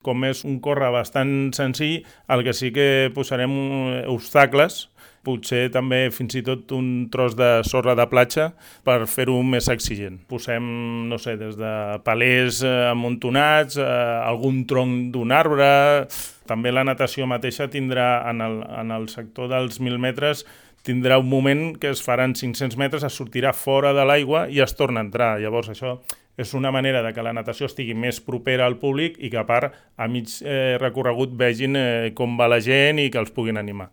com és un córrer bastant senzill, el que sí que posarem obstacles, potser també fins i tot un tros de sorra de platja per fer-ho més exigent. Posem, no sé, des de palers amuntonats, algun tronc d'un arbre. També la natació mateixa tindrà, en el sector dels 1.000 metres, tindrà un moment que es faran 500 metres, es sortirà fora de l'aigua i es torna a entrar. Llavors això és una manera de que la natació estigui més propera al públic i que a part a mig recorregut vegin com va la gent i que els puguin animar.